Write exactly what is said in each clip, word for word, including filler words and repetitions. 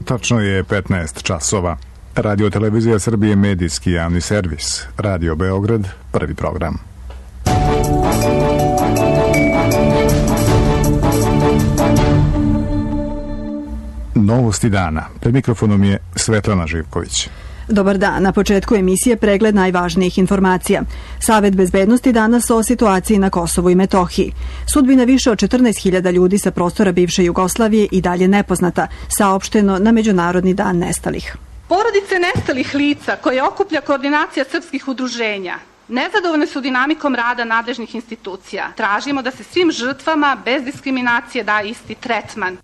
Tačno je petnaest časova. Radio Televizija Srbije, medijski javni servis. Radio Beograd, prvi program. Novosti dana. Pred mikrofonom je Svetlana Živković. Dobar dan. Na početku emisije pregled najvažnijih informacija. Savet bezbednosti danas o situaciji na Kosovu i Metohiji. Sudbina više od četrnaest hiljada ljudi sa prostora bivše Jugoslavije i dalje nepoznata, saopšteno na Međunarodni dan nestalih. Porodice nestalih lica koje okuplja koordinacija srpskih udruženja nezadovoljne su dinamikom rada nadležnih institucija. Tražimo da se svim žrtvama bez diskriminacije da isti tretman.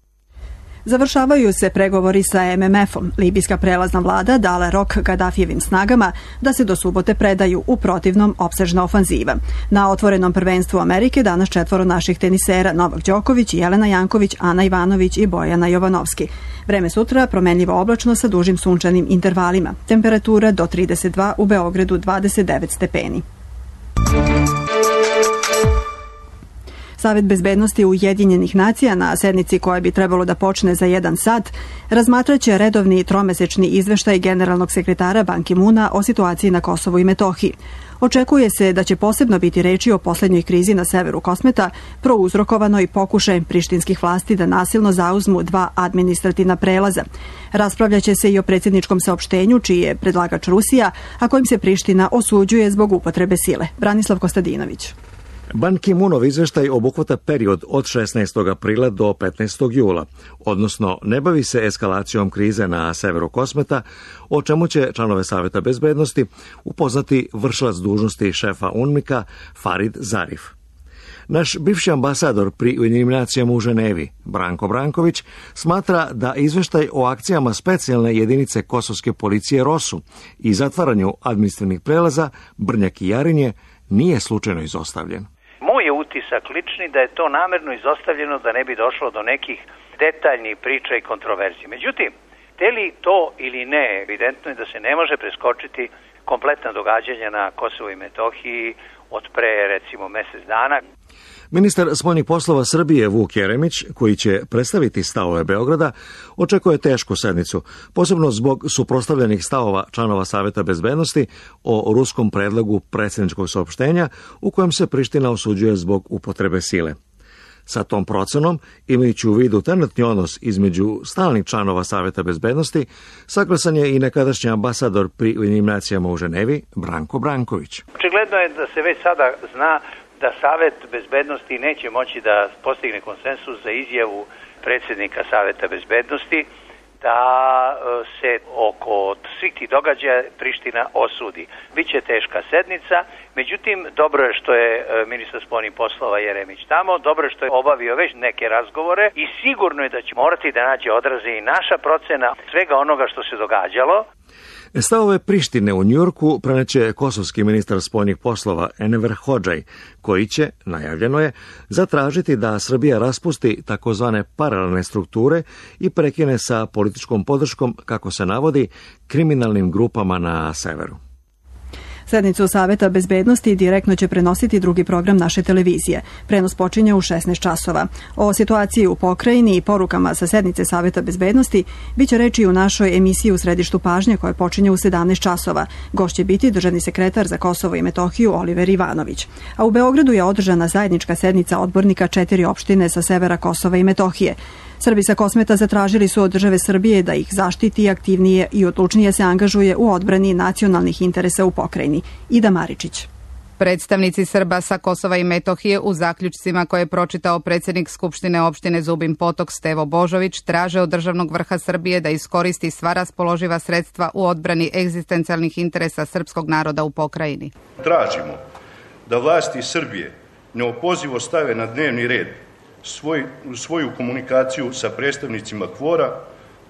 Završavaju se pregovori sa M M F-om. Libijska prelazna vlada dala rok Gadafijevim snagama da se do subote predaju, u protivnom opsežna ofanziva. Na otvorenom prvenstvu Amerike danas četvoro naših tenisera Novak Đoković, Jelena Janković, Ana Ivanović i Bojana Jovanovski. Vreme sutra promenljivo oblačno sa dužim sunčanim intervalima. Temperatura do trideset dva, u Beogradu dvadeset devet stepeni. Savet bezbednosti Ujedinjenih nacija na sednici koja bi trebalo da počne za jedan sat razmatraće redovni tromesečni izveštaj generalnog sekretara Ban Ki-moona o situaciji na Kosovu i Metohiji. Očekuje se da će posebno biti reči o poslednjoj krizi na severu Kosmeta, prouzrokovanoj pokušajem prištinskih vlasti da nasilno zauzmu dva administrativna prelaza. Raspravljaće se i o predsjedničkom saopštenju, čiji je predlagač Rusija, a kojim se Priština osuđuje zbog upotrebe sile. Branislav Kostadinović. Ban Ki-moonov izveštaj obuhvata period od šesnaestog aprila do petnaestog jula, odnosno ne bavi se eskalacijom krize na severu Kosmeta, o čemu će članove Saveta bezbednosti upoznati vršilac dužnosti šefa UNMIK-a Farid Zarif. Naš bivši ambasador pri Ujedinjenim nacijama u Ženevi, Branko Branković, smatra da izveštaj o akcijama specijalne jedinice kosovske policije ROSU i zatvaranju administrativnih prelaza Brnjak i Jarinje nije slučajno izostavljen. Moj je utisak lični da je to namerno izostavljeno da ne bi došlo do nekih detaljnih priča i kontroverzije. Međutim, te li to ili ne, evidentno je da se ne može preskočiti kompletna događanja na Kosovu i Metohiji od pre, recimo, mesec dana. Ministar spoljnih poslova Srbije Vuk Jeremić, koji će predstaviti stavove Beograda, očekuje tešku sednicu, posebno zbog suprotstavljenih stavova članova Saveta bezbednosti o ruskom predlogu predsjedničkog saopštenja u kojem se Priština osuđuje zbog upotrebe sile. Sa tom procenom, imajući u vidu trenutni odnos između stalnih članova Saveta bezbednosti, saglasan je i nekadašnji ambasador pri Ujedinjenim nacijama u Ženevi, Branko Branković. Očigledno je da se već sada zna da Savet bezbednosti neće moći da postigne konsensus za izjavu predsjednika Saveta bezbednosti da se oko svih tih događaja Priština osudi. Biće teška sednica, međutim, dobro je što je ministar spoljnih poslova Jeremić tamo, dobro je što je obavio već neke razgovore i sigurno je da će morati da nađe odraze i naša procena svega onoga što se događalo. Stavove Prištine u Njujorku preneće kosovski ministar spoljnih poslova Enver Hodžaj, koji će, najavljeno je, zatražiti da Srbija raspusti takozvane paralelne strukture i prekine sa političkom podrškom, kako se navodi, kriminalnim grupama na severu. Sednicu Saveta bezbednosti direktno će prenositi drugi program naše televizije. Prenos počinje u šesnaest časova. O situaciji u pokrajini i porukama sa sednice Saveta bezbednosti biće reči u našoj emisiji U središtu pažnje koja počinje u sedamnaest časova. Gost će biti državni sekretar za Kosovo i Metohiju Oliver Ivanović. A u Beogradu je održana zajednička sednica odbornika četiri opštine sa severa Kosova i Metohije. Srbi sa Kosmeta zatražili su od države Srbije da ih zaštiti aktivnije i odlučnije se angažuje u odbrani nacionalnih interesa u pokrajini. Ida Maričić. Predstavnici Srba sa Kosova i Metohije u zaključcima koje je pročitao predsjednik Skupštine opštine Zubin Potok Stevo Božović traže od državnog vrha Srbije da iskoristi sva raspoloživa sredstva u odbrani egzistencijalnih interesa srpskog naroda u pokrajini. Tražimo da vlasti Srbije neopozivo stave na dnevni red Svoj, svoju komunikaciju sa predstavnicima KFOR-a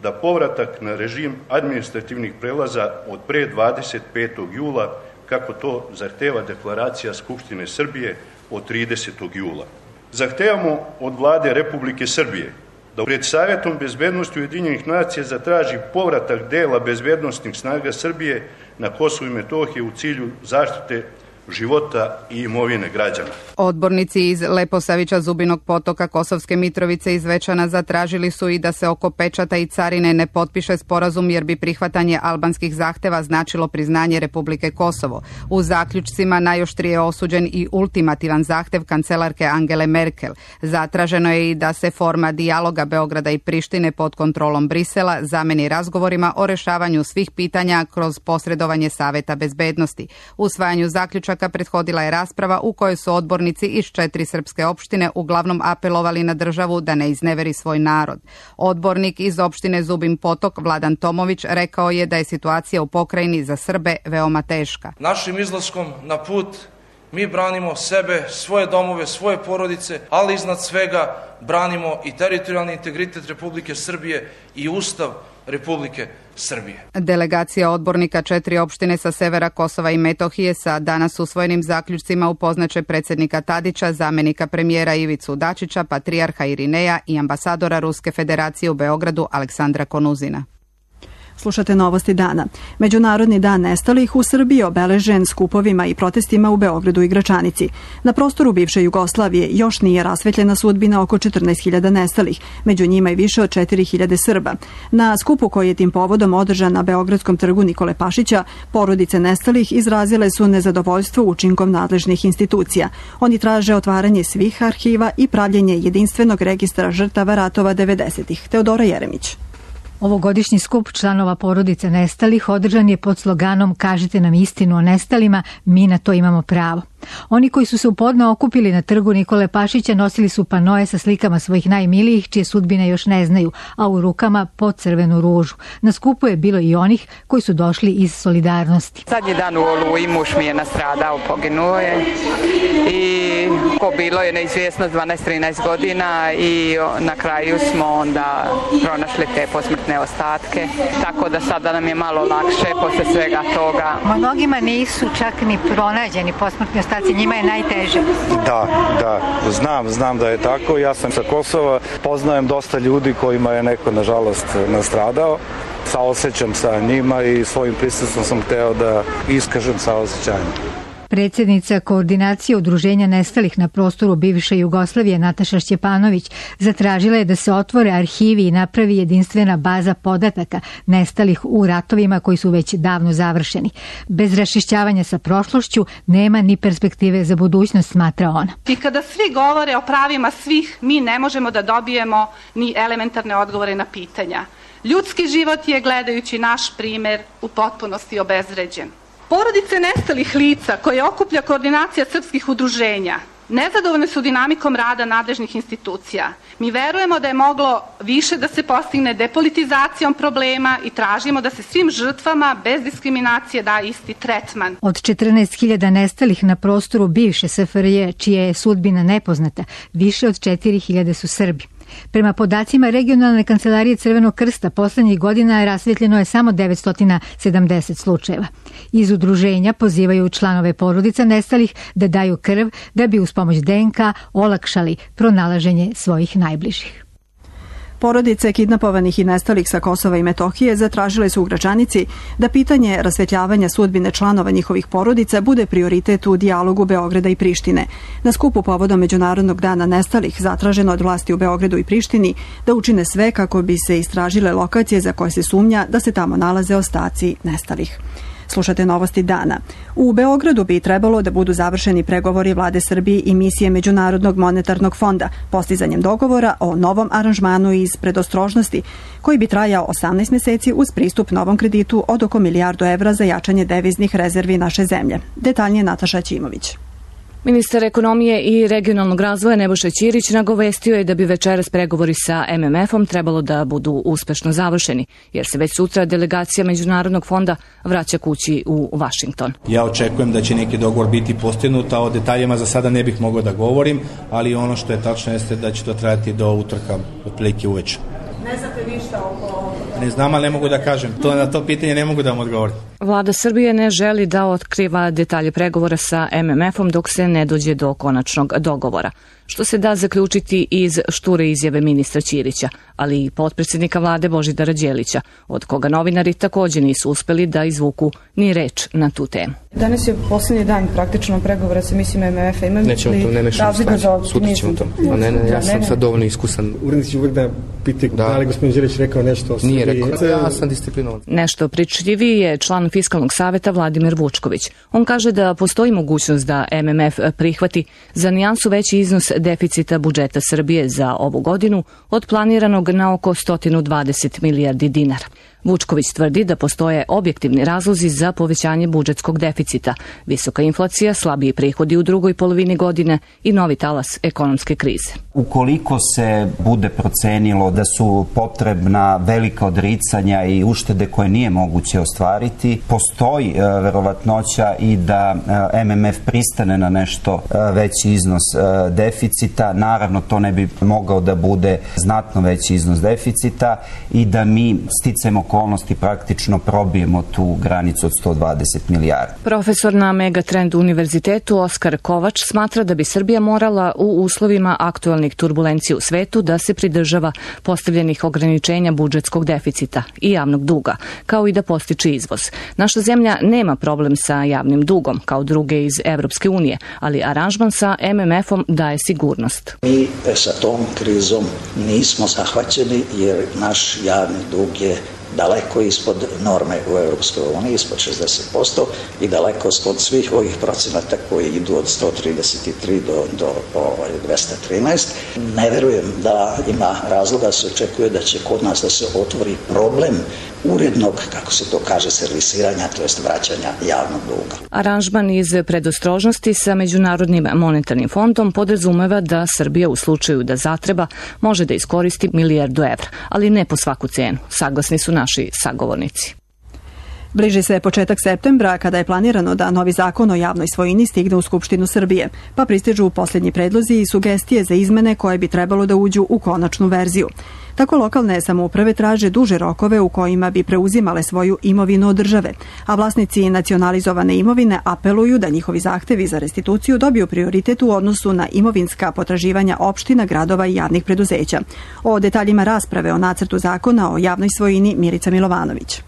da povratak na režim administrativnih prelaza od pre dvadeset petog jula, kako to zahteva deklaracija Skupštine Srbije od tridesetog jula. Zahtevamo od vlade Republike Srbije da pred Savjetom bezbednosti Ujedinjenih nacija zatraži povratak dela bezbednostnih snaga Srbije na Kosovu i Metohiji u cilju zaštite života i imovine građana. Odbornici iz Leposavića, Zubinog Potoka, Kosovske Mitrovice i Zvečana zatražili su i da se oko pečata i carine ne potpiše sporazum jer bi prihvatanje albanskih zahteva značilo priznanje Republike Kosovo. U zaključcima najoštrije je osuđen i ultimativan zahtev kancelarke Angele Merkel. Zatraženo je i da se forma dijaloga Beograda i Prištine pod kontrolom Brisela zameni razgovorima o rešavanju svih pitanja kroz posredovanje Saveta bezbednosti. Usvajanju zaključaka prethodila je rasprava u kojoj su odbornici iz četiri srpske opštine uglavnom apelovali na državu da ne izneveri svoj narod. Odbornik iz opštine Zubin Potok, Vladan Tomović, rekao je da je situacija u pokrajini za Srbe veoma teška. Našim izlaskom na put mi branimo sebe, svoje domove, svoje porodice, ali iznad svega branimo i teritorijalni integritet Republike Srbije i Ustav Republike Srbije. Delegacija odbornika četiri opštine sa severa Kosova i Metohije sa danas usvojenim zaključcima upoznaće predsjednika Tadića, zamenika premijera Ivicu Dačića, patrijarha Irineja i ambasadora Ruske federacije u Beogradu Aleksandra Konuzina. Slušate novosti dana. Međunarodni dan nestalih u Srbiji obeležen skupovima i protestima u Beogradu i Gračanici. Na prostoru bivše Jugoslavije još nije rasvetljena sudbina oko četrnaest hiljada nestalih, među njima i više od četiri hiljade Srba. Na skupu koji je tim povodom održan na Beogradskom trgu Nikole Pašića, porodice nestalih izrazile su nezadovoljstvo učinkom nadležnih institucija. Oni traže otvaranje svih arhiva i pravljenje jedinstvenog registra žrtava ratova devedesetih. Teodora Jeremić. Ovogodišnji skup članova porodice nestalih održan je pod sloganom "Kažite nam istinu o nestalima, mi na to imamo pravo". Oni koji su se u podne okupili na trgu Nikole Pašića nosili su panoje sa slikama svojih najmilijih čije sudbine još ne znaju, a u rukama po crvenu ružu. Na skupu je bilo i onih koji su došli iz solidarnosti. Zadnji dan u Oluji muž mi je nastradao, poginuo je i ko bilo je neizvjesnost dvanaest trinaest godina i na kraju smo onda pronašli te posmrtne ostatke, tako da sada nam je malo lakše posle svega toga. Mnogima nisu čak ni pronađeni posmrtni ostatci. Njima je najteže. Da, da, znam, znam da je tako. Ja sam sa Kosova, poznajem dosta ljudi kojima je neko, nažalost, nastradao. Saosećam sa njima i svojim prisustvom sam hteo da iskažem saosećanje. Predsjednica koordinacije udruženja nestalih na prostoru bivše Jugoslavije Nataša Šćepanović zatražila je da se otvore arhivi i napravi jedinstvena baza podataka nestalih u ratovima koji su već davno završeni. Bez raščišćavanja sa prošlošću nema ni perspektive za budućnost, smatra ona. I kada svi govore o pravima svih, mi ne možemo da dobijemo ni elementarne odgovore na pitanja. Ljudski život je, gledajući naš primer, u potpunosti obezvređen. Porodice nestalih lica koje okuplja koordinacija srpskih udruženja nezadovoljne su dinamikom rada nadležnih institucija. Mi verujemo da je moglo više da se postigne depolitizacijom problema i tražimo da se svim žrtvama bez diskriminacije da isti tretman. Od četrnaest hiljada nestalih na prostoru bivše S F R J, čija je sudbina nepoznata, više od četiri hiljade su Srbi. Prema podacima regionalne kancelarije Crvenog krsta, poslednjih godina rasvetljeno je samo devetsto sedamdeset slučajeva. Iz udruženja pozivaju članove porodica nestalih da daju krv da bi uz pomoć D N K olakšali pronalaženje svojih najbližih. Porodice kidnapovanih i nestalih sa Kosova i Metohije zatražile su u Gračanici da pitanje rasvetljavanja sudbine članova njihovih porodica bude prioritet u dijalogu Beograda i Prištine. Na skupu povodom Međunarodnog dana nestalih zatraženo od vlasti u Beogradu i Prištini da učine sve kako bi se istražile lokacije za koje se sumnja da se tamo nalaze ostaci nestalih. Slušate novosti dana. U Beogradu bi trebalo da budu završeni pregovori vlade Srbije i misije Međunarodnog monetarnog fonda postizanjem dogovora o novom aranžmanu iz predostrožnosti koji bi trajao osamnaest meseci uz pristup novom kreditu od oko milijardu evra za jačanje deviznih rezervi naše zemlje. Detaljnije Nataša Ćimović. Ministar ekonomije i regionalnog razvoja Nebojša Ćirić nagovestio je da bi večeras pregovori sa M M F-om trebalo da budu uspešno završeni, jer se već sutra delegacija Međunarodnog fonda vraća kući u Vašington. Ja očekujem da će neki dogovor biti postignut, a o detaljima za sada ne bih mogao da govorim, ali ono što je tačno jeste da će to trajati do utorka, otprilike uveče. Ne znate ništa oko... Ne znam, ali ne mogu da kažem. To, na to pitanje ne mogu da vam odgovorim. Vlada Srbije ne želi da otkriva detalje pregovora sa M M F-om dok se ne dođe do konačnog dogovora. što se da zaključiti iz šture izjave ministra Ćirića, ali i potpredsjednika vlade Božidara Đelića, od koga novinari takođe nisu uspeli da izvuku ni reč na tu temu. Danas je posljednji dan praktično pregovora sa misijom M M F-a. Ima Nećemo to, ne mešamo stvari. Sutra ćemo to. A ne, ne, ja sam ne, sad dovoljno iskusan. Urednici će uvijek da piti da. da li gospodin Đelić rekao nešto o Srbiji. Nije rekao, ja sam disciplinovan. Nešto pričljiviji je član Fiskalnog saveta Vladimir Vučković. On kaže da postoji mogućnost da M M F prihvati za nijansu veći iznos deficita budžeta Srbije za ovu godinu od planiranog na oko sto dvadeset milijardi dinara. Vučković tvrdi da postoje objektivni razlozi za povećanje budžetskog deficita, visoka inflacija, slabiji prihodi u drugoj polovini godine i novi talas ekonomske krize. Ukoliko se bude procenilo da su potrebna velika odricanja i uštede koje nije moguće ostvariti, postoji e, verovatnoća i da e, M M F pristane na nešto e, veći iznos e, deficita. Naravno, to ne bi mogao da bude znatno veći iznos deficita i da mi sticamo okolnosti praktično probijemo tu granicu od sto dvadeset milijardi. Profesor na Megatrend univerzitetu Oskar Kovač smatra da bi Srbija morala u uslovima aktualnih turbulencija u svetu da se pridržava postavljenih ograničenja budžetskog deficita i javnog duga, kao i da postiče izvoz. Naša zemlja nema problem sa javnim dugom, kao druge iz Evropske unije, ali aranžman sa M M F-om daje sigurnost. Mi sa tom krizom nismo zahvaćeni jer naš javni dug je daleko ispod norme u Europskoj uniji, ispod šezdeset posto i daleko ispod svih ovih procenata koji idu od sto trideset tri do, do ovaj, dvesta trinaest. Ne verujem da ima razloga da se očekuje da će kod nas da se otvori problem urednog, kako se to kaže, servisiranja, to jest vraćanja javnog duga. Aranžman iz predostrožnosti sa Međunarodnim monetarnim fondom podrazumeva da Srbija u slučaju da zatreba može da iskoristi milijardu evra, ali ne po svaku cenu. Saglasni su naši sagovornici. Bliži se početak septembra kada je planirano da novi zakon o javnoj svojini stigne u Skupštinu Srbije, pa pristižu posljednji predlozi i sugestije za izmene koje bi trebalo da uđu u konačnu verziju. Tako lokalne samouprave traže duže rokove u kojima bi preuzimale svoju imovinu od države, a vlasnici nacionalizovane imovine apeluju da njihovi zahtevi za restituciju dobiju prioritet u odnosu na imovinska potraživanja opština, gradova i javnih preduzeća. O detaljima rasprave o nacrtu zakona o javnoj svojini Milica Milovanović.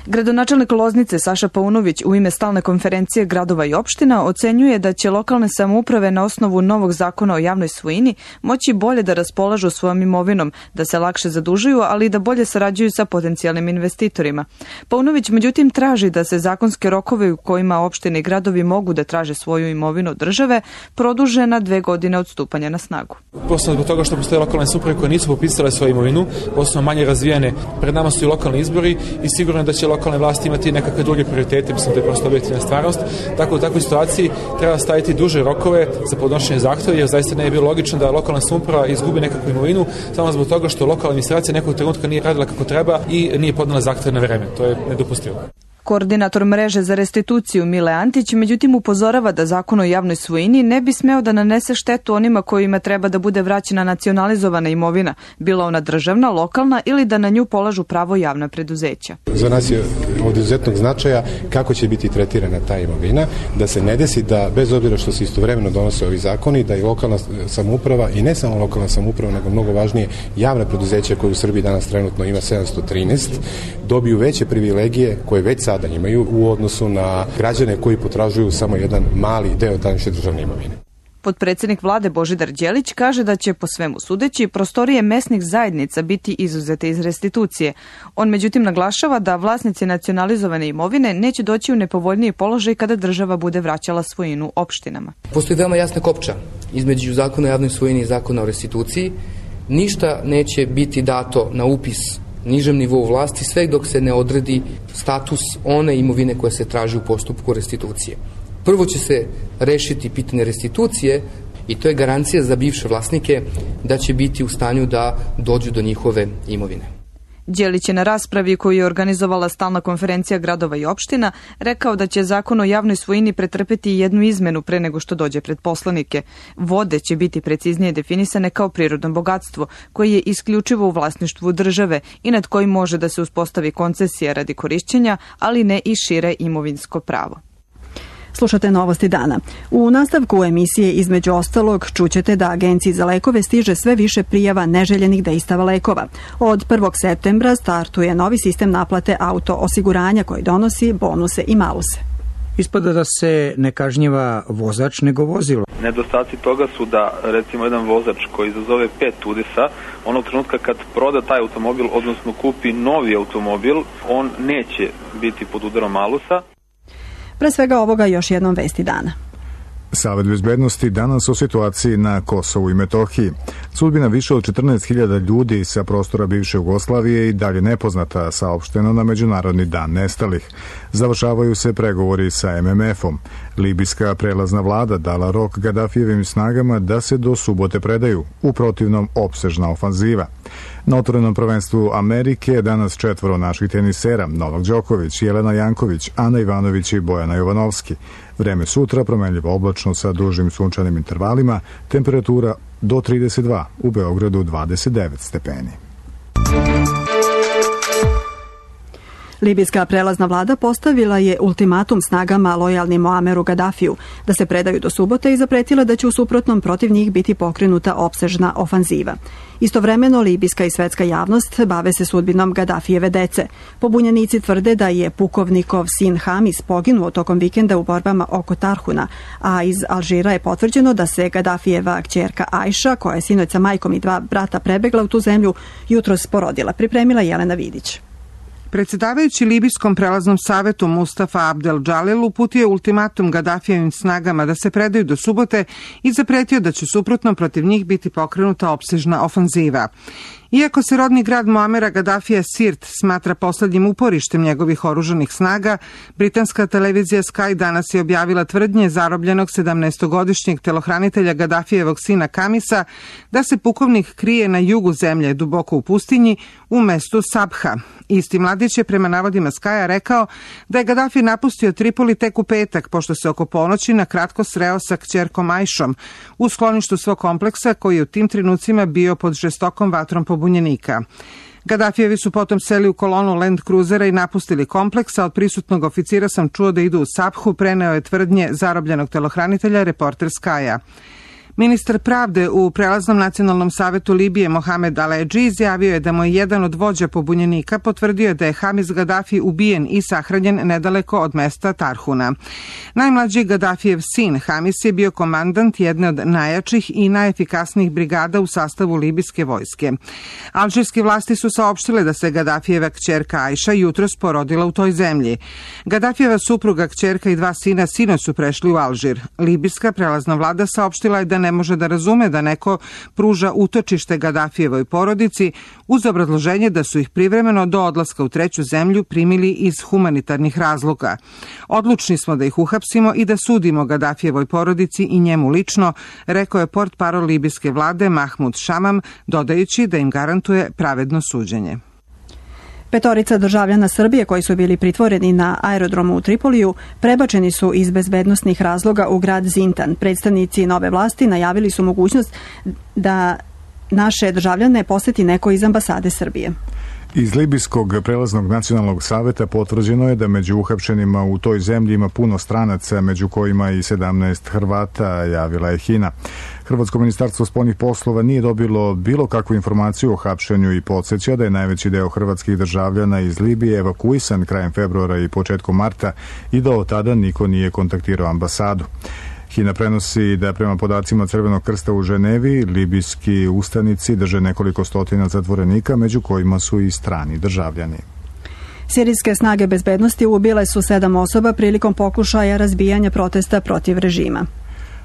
Gradonačelnik Loznice Saša Paunović u ime stalne konferencije gradova i opština ocenjuje da će lokalne samouprave na osnovu novog zakona o javnoj svojini moći bolje da raspolažu svojom imovinom, da se lakše zadužuju, ali i da bolje sarađuju sa potencijalnim investitorima. Paunović međutim traži da se zakonske rokove u kojima opštine i gradovi mogu da traže svoju imovinu od države produže na dve godine od stupanja na snagu. Posebno zbog toga što postoje lokalne samouprave koje nisu popisale svoju imovinu, posebno manje razvijene, pred nama su i lokalni izbori i sigurno da će lokalne vlasti imati nekakve druge prioritete, mislim da je prosto objektivna stvarnost. Tako u takvoj situaciji treba staviti duže rokove za podnošenje zahtjeva, jer zaista ne je bilo logično da lokalna samouprava izgubi nekakvu imovinu samo zbog toga što lokalna administracija nekog trenutka nije radila kako treba i nije podnela zahtjeve na vreme. To je nedopustivo. Koordinator mreže za restituciju Mile Antić međutim upozorava da zakon o javnoj svojini ne bi smeo da nanese štetu onima kojima treba da bude vraćena nacionalizovana imovina, bila ona državna, lokalna ili da na nju polažu pravo javna preduzeća. Za nas je od izuzetnog značaja kako će biti tretirana ta imovina, da se ne desi da bez obzira što se istovremeno donose ovi zakoni, da i lokalna samouprava i ne samo lokalna samouprava, nego mnogo važnije javna preduzeća koje u Srbiji danas trenutno ima sedamsto trinaest, dobiju veće privilegije koje već sada imaju u odnosu na građane koji potražuju samo jedan mali deo današnje državne imovine. Potpredsjednik vlade Božidar Đelić kaže da će po svemu sudeći prostorije mesnih zajednica biti izuzete iz restitucije. On međutim naglašava da vlasnici nacionalizovane imovine neće doći u nepovoljniji položaj kada država bude vraćala svojinu opštinama. Postoji veoma jasna kopča između zakona o javnoj svojini i zakona o restituciji. Ništa neće biti dato na upis nižem nivou vlasti sve dok se ne odredi status one imovine koja se traži u postupku restitucije. Prvo će se rešiti pitanje restitucije i to je garancija za bivše vlasnike da će biti u stanju da dođu do njihove imovine. Đelić je na raspravi koju je organizovala stalna konferencija gradova i opština rekao da će zakon o javnoj svojini pretrpeti jednu izmenu pre nego što dođe pred poslanike. Vode će biti preciznije definisane kao prirodno bogatstvo koje je isključivo u vlasništvu države i nad kojim može da se uspostavi koncesija radi korišćenja, ali ne i šire imovinsko pravo. Slušate Novosti dana. U nastavku emisije između ostalog čućete da Agenciji za lekove stiže sve više prijava neželjenih dejstava lekova. Od prvog septembra startuje novi sistem naplate auto osiguranja koji donosi bonuse i maluse. Ispada da se ne kažnjava vozač nego vozilo. Nedostaci toga su da recimo jedan vozač koji izazove pet udesa, onog trenutka kad proda taj automobil, odnosno kupi novi automobil, on neće biti pod udarom malusa. Pre svega ovoga još jednom vesti dana. Savet bezbednosti danas o situaciji na Kosovu i Metohiji. Sudbina više od četrnaest hiljada ljudi sa prostora bivše Jugoslavije i dalje nepoznata, saopšteno na Međunarodni dan nestalih. Završavaju se pregovori sa em em efom. Libijska prelazna vlada dala rok Gadafijevim snagama da se do subote predaju, u protivnom opsežna ofanziva. Na otvorenom prvenstvu Amerike danas četvoro naših tenisera: Novak Đoković, Jelena Janković, Ana Ivanović i Bojana Jovanovski. Vreme sutra promenljivo oblačno sa dužim sunčanim intervalima, temperatura do trideset dva, u Beogradu dvadeset devet stepeni. Libijska prelazna vlada postavila je ultimatum snagama lojalnim Muameru Gadafiju da se predaju do subote i zapretila da će u suprotnom protiv njih biti pokrenuta opsežna ofanziva. Istovremeno, libijska i svetska javnost bave se sudbinom Gadafijeve dece. Pobunjenici tvrde da je pukovnikov sin Hamis poginuo tokom vikenda u borbama oko Tarhuna, a iz Alžira je potvrđeno da se Gadafijeva kćerka Ajša, koja je sinoć sa majkom i dva brata prebegla u tu zemlju, jutros porodila. Pripremila Jelena Vidić. Predsjedavajući Libijskom prelaznom savetu Mustafa Abdel Džalil uputio je ultimatum Gadafijevim snagama da se predaju do subote i zapretio da će suprotno protiv njih biti pokrenuta opsežna ofanziva. Iako se rodni grad Muamera Gadafija Sirt smatra poslednjim uporištem njegovih oružanih snaga, britanska televizija Sky danas je objavila tvrdnje zarobljenog sedamnaestogodišnjeg telohranitelja Gadafijevog sina Kamisa da se pukovnik krije na jugu zemlje, duboko u pustinji, u mestu Sabha. Isti mladić je prema navodima Skya rekao da je Gaddafi napustio Tripoli tek u petak, pošto se oko ponoći na kratko sreo sa kćerkom Ajšom u skloništu svog kompleksa koji je u tim trenucima bio pod žestokom vatrom pobunjenika. Gaddafijevi su potom seli u kolonu Land Cruisera i napustili kompleks, a od prisutnog oficira sam čuo da idu u Sabhu, preneo je tvrdnje zarobljenog telohranitelja reporter Skya. Ministar pravde u prelaznom nacionalnom savetu Libije Mohamed Aleđi izjavio je da mu je jedan od vođa pobunjenika potvrdio da je Hamis Gaddafi ubijen i sahranjen nedaleko od mesta Tarhuna. Najmlađi Gaddafijev sin Hamis je bio komandant jedne od najjačih i najefikasnijih brigada u sastavu libijske vojske. Alžirske vlasti su saopštile da se Gaddafijeva kćerka Ajša jutros porodila u toj zemlji. Gaddafijeva supruga, kćerka i dva sina sinoć su prešli u Alžir. Libijska prelazna vlada saopštila je da ne može da razume da neko pruža utočište Gaddafijevoj porodici uz obrazloženje da su ih privremeno do odlaska u treću zemlju primili iz humanitarnih razloga. Odlučni smo da ih uhapsimo i da sudimo Gaddafijevoj porodici i njemu lično, rekao je portparol libijske vlade Mahmud Šamam, dodajući da im garantuje pravedno suđenje. Petorica državljana Srbije koji su bili pritvoreni na aerodromu u Tripoliju prebačeni su iz bezbednosnih razloga u grad Zintan. Predstavnici nove vlasti najavili su mogućnost da naše državljane poseti neko iz ambasade Srbije. Iz Libijskog prelaznog nacionalnog saveta potvrđeno je da među uhapšenima u toj zemlji ima puno stranaca, među kojima i sedamnaest Hrvata, javila je Hina. Hrvatsko ministarstvo spoljnih poslova nije dobilo bilo kakvu informaciju o hapšenju i podsjeća da je najveći deo hrvatskih državljana iz Libije evakuisan krajem februara i početkom marta i da od tada niko nije kontaktirao ambasadu. Hina prenosi da prema podacima Crvenog krsta u Ženevi, libijski ustanici drže nekoliko stotina zatvorenika, među kojima su i strani državljani. Sirijske snage bezbednosti ubile su sedam osoba prilikom pokušaja razbijanja protesta protiv režima.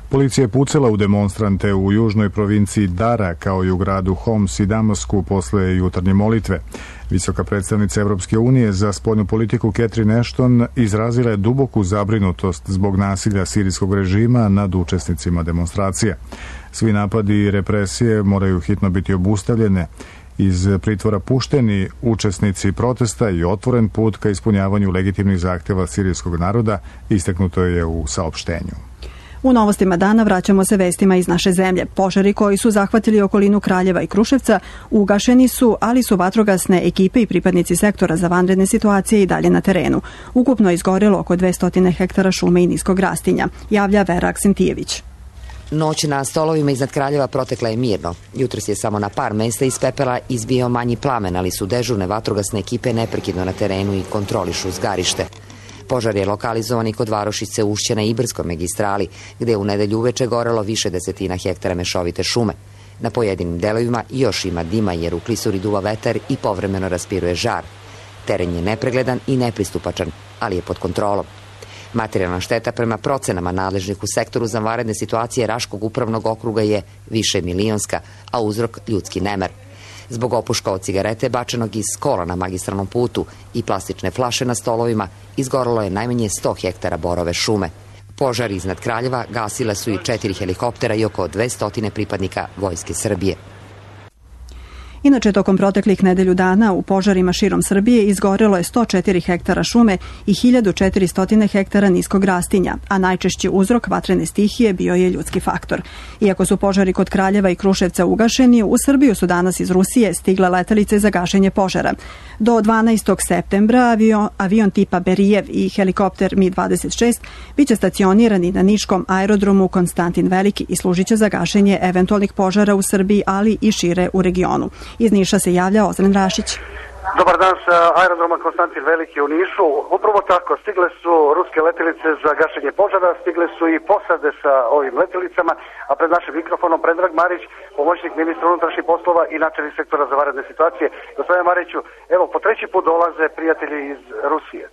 Policija je pucala u demonstrante u južnoj provinciji Dara, kao i u gradu Homs i Damasku posle jutarnje molitve. Visoka predstavnica Evropske unije za spoljnu politiku Catherine Ashton izrazila je duboku zabrinutost zbog nasilja sirijskog režima nad učesnicima demonstracija. Svi napadi i represije moraju hitno biti obustavljene, iz pritvora pušteni učesnici protesta i otvoren put ka ispunjavanju legitimnih zahtjeva sirijskog naroda, istaknuto je u saopštenju. U novostima dana vraćamo se vestima iz naše zemlje. Požari koji su zahvatili okolinu Kraljeva i Kruševca ugašeni su, ali su vatrogasne ekipe i pripadnici sektora za vanredne situacije i dalje na terenu. Ukupno je izgorelo oko dvesta hektara šume i niskog rastinja, javlja Vera Aksentijević. Noć na stolovima iznad Kraljeva protekla je mirno. Jutros je samo na par mesta iz pepela izbio manji plamen, ali su dežurne vatrogasne ekipe neprekidno na terenu i kontrolišu zgarište. Požar je lokalizovan i kod varošice Ušća na Ibarskoj magistrali, gde je u nedelju uveče gorelo više desetina hektara mešovite šume. Na pojedinim delovima još ima dima jer u klisuri duva vetar i povremeno raspiruje žar. Teren je nepregledan i nepristupačan, ali je pod kontrolom. Materijalna šteta prema procenama nadležnih u sektoru za vanredne situacije Raškog upravnog okruga je više milionska, a uzrok ljudski nemer. Zbog opuška od cigarete bačenog iz kola na magistralnom putu i plastične flaše na stolovima izgorelo je najmanje sto hektara borove šume. Požar iznad Kraljeva gasile su i četiri helikoptera i oko dvesta pripadnika Vojske Srbije. Inače, tokom proteklih nedelju dana u požarima širom Srbije izgorelo je sto četiri hektara šume i hiljadu četiristo hektara niskog rastinja, a najčešći uzrok vatrene stihije bio je ljudski faktor. Iako su požari kod Kraljeva i Kruševca ugašeni, u Srbiju su danas iz Rusije stigle letelice za gašenje požara. Do dvanaestog septembra avion, avion tipa Berijev i helikopter Mi dvadeset šest biće stacionirani na niškom aerodromu Konstantin Veliki i služit će za gašenje eventualnih požara u Srbiji, ali i šire u regionu. Iz Niša se javlja Ozren Rašić. Dobar dan sa aerodroma Konstantin Veliki u Nišu. Upravo tako, stigle su ruske letelice za gašenje požara, stigle su i posade sa ovim letjelicama, a pred našim mikrofonom Predrag Marić, pomoćnik ministra unutrašnjih poslova i načelnik sektora za vanredne situacije. Gospodine Mariću, evo, po treći put dolaze prijatelji iz Rusije.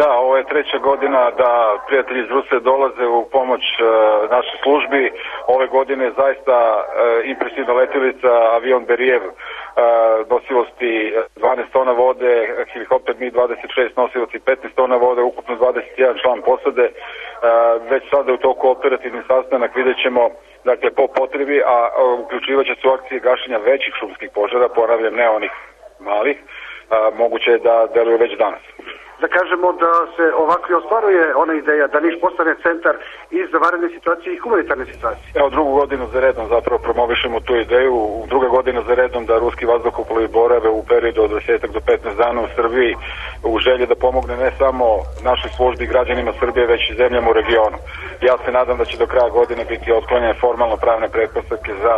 Da, ovo je treća godina da prijatelji iz Rusije dolaze u pomoć e, našoj službi. Ove godine je zaista e, impresivna letjelica, avion Berijev, e, nosivosti dvanaest tona vode, helikopter Mi dvadeset šest nosivosti petnaest tona vode, ukupno dvadeset jedan član posade. E, već sada je u toku operativni sastanak, vidjet ćemo dakle, po potrebi, a uključivat će se u akcije gašenja većih šumskih požara, ponavljam, ne onih malih, a, moguće je da deluju već danas. Da kažemo da se ovako i ostvaruje ona ideja da Niš postane centar i za vanredne situacije i humanitarne situacije. Evo drugu godinu za redom zapravo promovišemo tu ideju, druga godina za redom da ruski vazduhoplovi borave u periodu od dvadeset do petnaest dana u Srbiji u želji da pomogne ne samo našoj službi i građanima Srbije, već i zemljama u regionu. Ja se nadam da će do kraja godine biti otklonjene formalno pravne pretpostavke za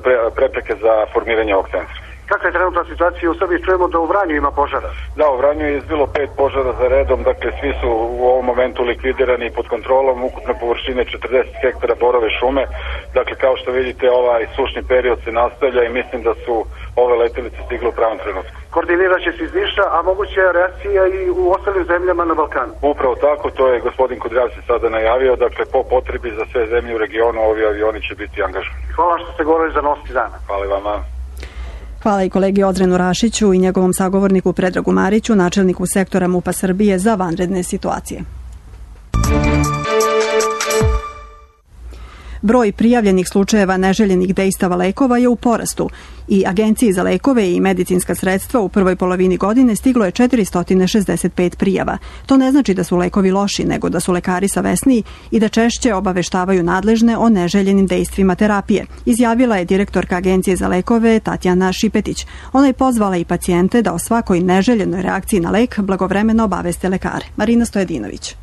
pre, prepreke za formiranje ovog centra. Kakva je trenutna situacija u Srbiji? Čujemo da u Vranju ima požara. Da, u Vranju je izbilo pet požara za redom, dakle svi su u ovom momentu likvidirani pod kontrolom, ukupne površine četrdeset hektara borove šume. Dakle, kao što vidite, ovaj sušni period se nastavlja i mislim da su ove letelice stigle u pravom trenutku. Koordinirat će se iz Niša, a moguća je reakcija i u ostalim zemljama na Balkanu. Upravo tako, to je gospodin Kudrjavci sada najavio, dakle po potrebi za sve zemlje u regionu ovi avioni će biti angažovani. Hvala što ste govorili za Novosti dana. Hvala vama. Hvala i kolegi Odrenu Rašiću i njegovom sagovorniku Predragu Mariću, načelniku sektora MUP-a Srbije za vanredne situacije. Broj prijavljenih slučajeva neželjenih dejstava lekova je u porastu i Agenciji za lekove i medicinska sredstva u prvoj polovini godine stiglo je četiristo šezdeset pet prijava. To ne znači da su lekovi loši, nego da su lekari savesniji i da češće obaveštavaju nadležne o neželjenim dejstvima terapije, izjavila je direktorka Agencije za lekove Tatjana Šipetić. Ona je pozvala i pacijente da o svakoj neželjenoj reakciji na lek blagovremeno obaveste lekare. Marina Stojedinović.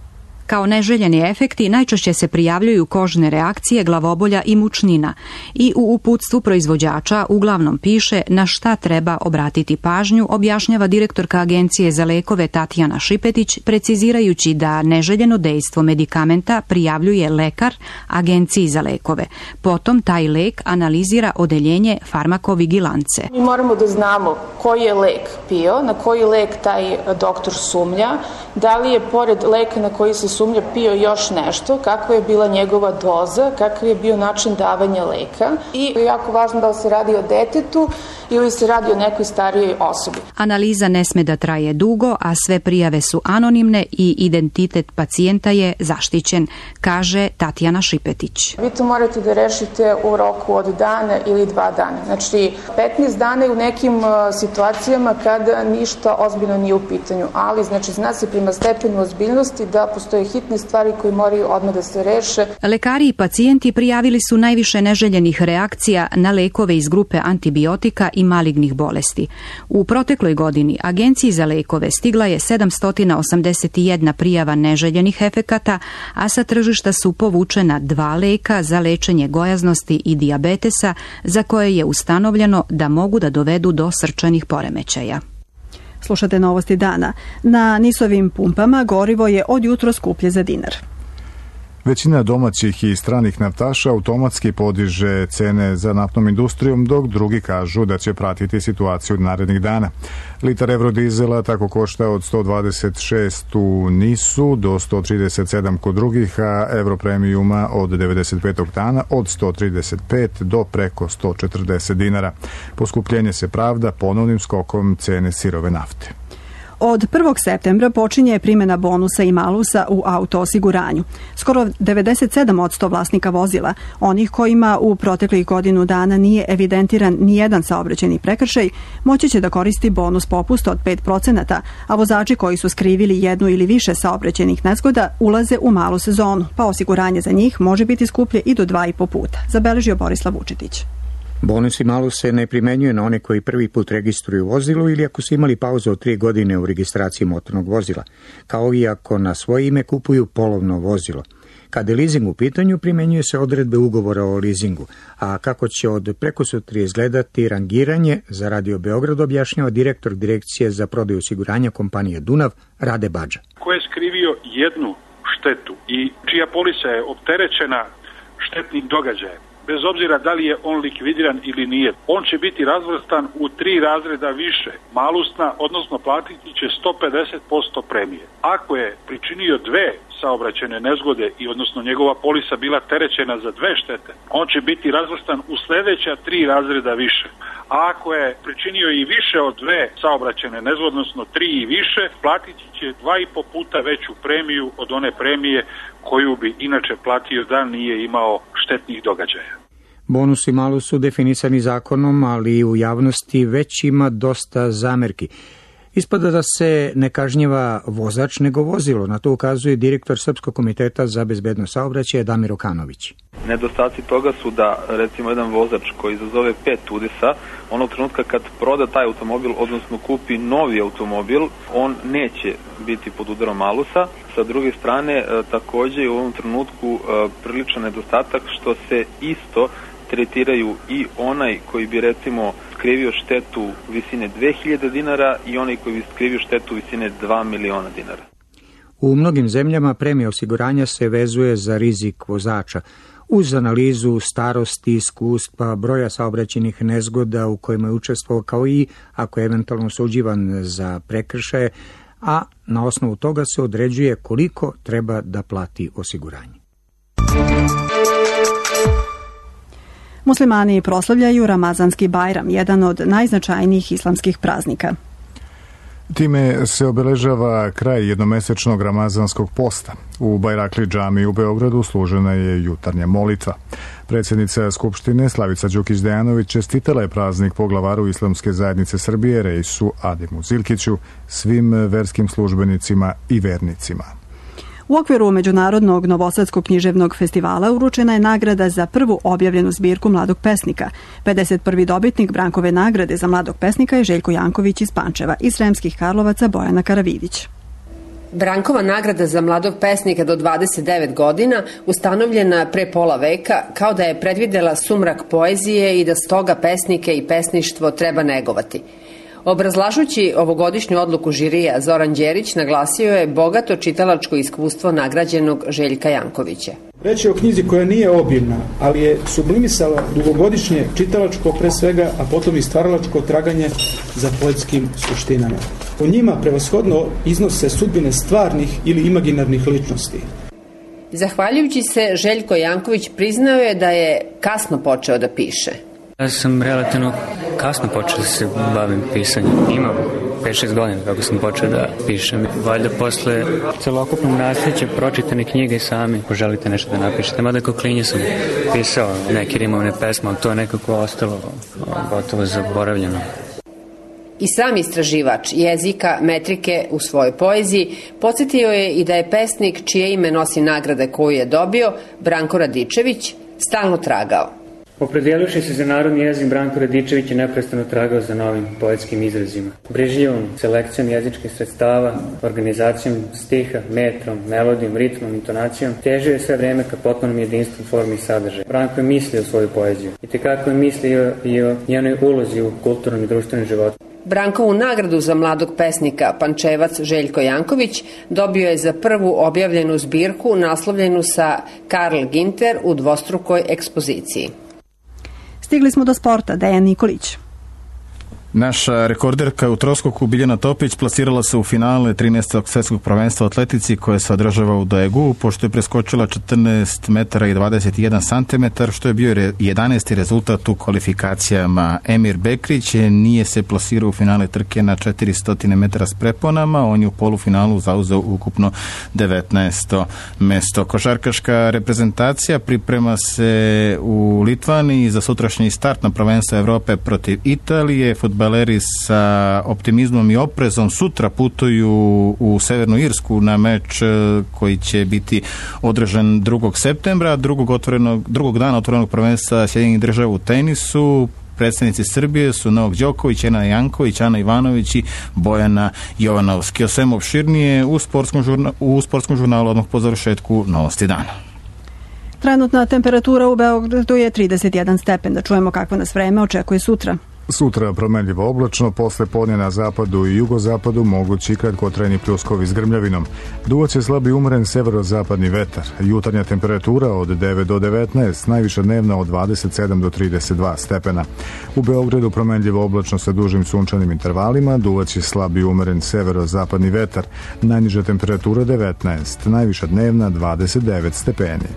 Kao neželjeni efekti najčešće se prijavljuju kožne reakcije, glavobolja i mučnina i u uputstvu proizvođača uglavnom piše na šta treba obratiti pažnju, objašnjava direktorka Agencije za lekove Tatjana Šipetić, precizirajući da neželjeno dejstvo medikamenta prijavljuje lekar Agenciji za lekove. Potom taj lek analizira odeljenje farmakovigilance. Mi moramo da znamo koji je lek pio, na koji lek taj doktor sumnja, da li je pored leka na koji se sumnja pio još nešto, kakva je bila njegova doza, kakav je bio način davanja leka. I je jako važno da se radi o detetu ili se radi o nekoj starijoj osobi. Analiza ne sme da traje dugo, a sve prijave su anonimne i identitet pacijenta je zaštićen, kaže Tatjana Šipetić. Vi to morate da rešite u roku od dana ili dva dana. Znači, petnaest dana je u nekim situacijama kada ništa ozbiljno nije u pitanju, ali znači zna se prema stepenu ozbiljnosti da postoje hitne stvari koje moraju odmah da se reše. Lekari i pacijenti prijavili su najviše neželjenih reakcija na lekove iz grupe antibiotika i malignih bolesti. U protekloj godini Agenciji za lekove stigla je sedamsto osamdeset jedna prijava neželjenih efekata, a sa tržišta su povučena dva leka za lečenje gojaznosti i dijabetesa, za koje je ustanovljeno da mogu da dovedu do srčanih poremećaja. Slušate novosti dana. Na nisovim pumpama gorivo je od jutro skuplje za dinar. Većina domaćih i stranih naftaša automatski podiže cene za naftnom industrijom, dok drugi kažu da će pratiti situaciju narednih dana. Litar eurodizela tako košta od sto dvadeset šest u Nisu do sto trideset sedam kod drugih, a Europremijuma od devedeset pet oktana od sto trideset pet do preko sto četrdeset dinara. Poskupljenje se pravda ponovnim skokom cene sirove nafte. Od prvog septembra počinje primjena bonusa i malusa u auto osiguranju. Skoro devedeset sedam posto vlasnika vozila, onih kojima u proteklih godinu dana nije evidentiran nijedan saobraćajni prekršaj, moći će da koristi bonus popust od pet procenata, a vozači koji su skrivili jednu ili više saobraćajnih nezgoda ulaze u malu sezonu, pa osiguranje za njih može biti skuplje i do dva i po puta, zabeležio Borislav Vučetić. Bonus i malus se ne primenjuje na one koji prvi put registruju vozilo ili ako su imali pauzu od tri godine u registraciji motornog vozila, kao i ako na svoje ime kupuju polovno vozilo. Kada je leasing u pitanju, primenjuje se odredbe ugovora o leasingu, a kako će od prekosutra izgledati rangiranje, za Radio Beograd objašnjava direktor Direkcije za prodaju osiguranja kompanije Dunav, Rade Badža. Ko je skrivio jednu štetu i čija polisa je opterećena štetnim događajem, bez obzira da li je on likvidiran ili nije, on će biti razvrstan u tri razreda više, malusna, odnosno platiti će sto pedeset posto premije. Ako je pričinio dve saobraćajne nezgode i odnosno njegova polisa bila terećena za dve štete, on će biti razvrstan u sledeća tri razreda više. A ako je pričinio i više od dve saobraćajne nezgode, odnosno tri i više, platiti će dva i po puta veću premiju od one premije koju bi inače platio da nije imao štetnih događaja. Bonus i malus su definisani zakonom, ali u javnosti već ima dosta zamerki. Ispada da se ne kažnjava vozač nego vozilo, na to ukazuje direktor Srpskog komiteta za bezbednost saobraćaja Damir Okanović. Nedostaci toga su da recimo jedan vozač koji izazove pet udesa, onog trenutka kad proda taj automobil, odnosno kupi novi automobil, on neće biti pod udarom malusa. Sa druge strane, takođe je u ovom trenutku priličan nedostatak što se isto tretiraju i onaj koji bi recimo skrivio štetu visine dve hiljade dinara i onaj koji bi skrivio štetu visine dva miliona dinara. U mnogim zemljama premija osiguranja se vezuje za rizik vozača. Uz analizu starosti, iskustva, broja saobraćajnih nezgoda u kojima je učestvovao, kao i ako je eventualno osuđivan za prekršaje, a na osnovu toga se određuje koliko treba da plati osiguranje. Muslimani proslavljaju Ramazanski Bajram, jedan od najznačajnijih islamskih praznika. Time se obeležava kraj jednomesečnog ramazanskog posta. U Bajrakli džamiji u Beogradu služena je jutarnja molitva. Predsjednica Skupštine Slavica Đukić-Dejanović čestitala je praznik poglavaru Islamske zajednice Srbije Reisu Adimu Zilkiću, svim verskim službenicima i vernicima. U okviru Međunarodnog Novosadskog književnog festivala uručena je nagrada za prvu objavljenu zbirku mladog pesnika. pedeset prvi dobitnik Brankove nagrade za mladog pesnika je Željko Janković iz Pančeva, iz Sremskih Karlovaca Bojana Karavidić. Brankova nagrada za mladog pesnika do dvadeset devet godina ustanovljena pre pola veka kao da je predvidela sumrak poezije i da stoga pesnike i pesništvo treba negovati. Obrazlažući ovogodišnju odluku žirija, Zoran Đerić naglasio je bogato čitalačko iskustvo nagrađenog Željka Jankovića. Reč je o knjizi koja nije obimna, ali je sublimisala dugogodišnje čitalačko pre svega, a potom i stvaralačko traganje za poetskim suštinama. U njima prevashodno iznose sudbine stvarnih ili imaginarnih ličnosti. Zahvaljujući se, Željko Janković priznao je da je kasno počeo da piše. Ja sam relativno kasno počeo da se bavim pisanjem. Imam pet šest godina kako sam počeo da pišem. Valjda posle celokupnog nasljeđa pročitane knjige sami poželite nešto da napišete. Mada kao klinje sam pisao neke rimovne pesme, ali to je nekako ostalo gotovo zaboravljeno. I sam istraživač jezika, metrike u svojoj poeziji podsjetio je i da je pesnik čije ime nosi nagrade koju je dobio, Branko Radičević, stalno tragao. Opredijeluši se za narodni jezik, Branko Radičević je neprestano tragao za novim poetskim izrazima. Brižljivom selekcijom jezičkih sredstava, organizacijom stiha, metrom, melodijom, ritmom, intonacijom, težio je sve vreme ka potpunom jedinstvu formi i sadržaja. Branko je mislio svoju poeziju i tekako je mislio i o njenoj ulozi u kulturnom i društvenom životu. Brankovu nagradu za mladog pesnika Pančevac Željko Janković dobio je za prvu objavljenu zbirku naslovljenu sa Karl Ginter u dvostrukoj ekspoziciji. Stigli smo do sporta. Dejan Nikolić. Naša rekorderka u troskoku Biljana Topić plasirala se u finale trinaestog svjetskog prvenstva u atletici koje se održava u Daegu, pošto je preskočila četrnaest metara i dvadeset jedan santimetar, što je bio jedanaesti rezultat u kvalifikacijama. Emir Bekrić nije se plasirao u finale trke na četiristo metara s preponama, on je u polufinalu zauzeo ukupno devetnaesto mesto. Košarkaška reprezentacija priprema se u Litvani za sutrašnji start na prvenstvo Evrope protiv Italije. Fudbaleri sa optimizmom i oprezom sutra putuju u Severnu Irsku na meč koji će biti održan drugog septembra, drugog, otvorenog, drugog dana otvorenog prvenstva Sjedinjenih Država u tenisu. Predstavnici Srbije su Novak Đoković, Ena Janković, Ana Ivanović i Bojana Jovanovski. O svemu opširnije u sportskom, žurna, u sportskom žurnalu odmah po završetku Novosti dana. Trenutna temperatura u Beogradu je trideset jedan stepen. Da čujemo kakvo nas vreme očekuje sutra. Sutra promenljivo oblačno, posle podne na zapadu i jugozapadu mogući kratkotrajni pljuskovi s grmljavinom. Duvaće slabi umeren severozapadni vetar. Jutarnja temperatura od devet do devetnaest, najviša dnevna od dvadeset sedam do trideset dva stepena. U Beogradu promenljivo oblačno sa dužim sunčanim intervalima, duvaće slabi umeren severozapadni vetar. Najniža temperatura devetnaest, najviša dnevna dvadeset devet stepeni.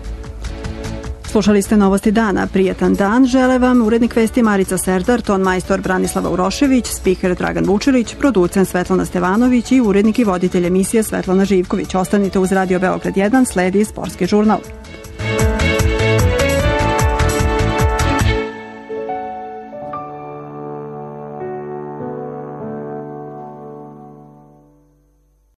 Slušali ste Novosti dana. Prijetan dan žele vam urednik vesti Marica Serdar, ton majstor Branislava Urošević, spiker Dragan Vučilić, producent Svetlana Stevanović i urednik i voditelj emisije Svetlana Živković. Ostanite uz Radio Beograd jedan, sledi sportski žurnal.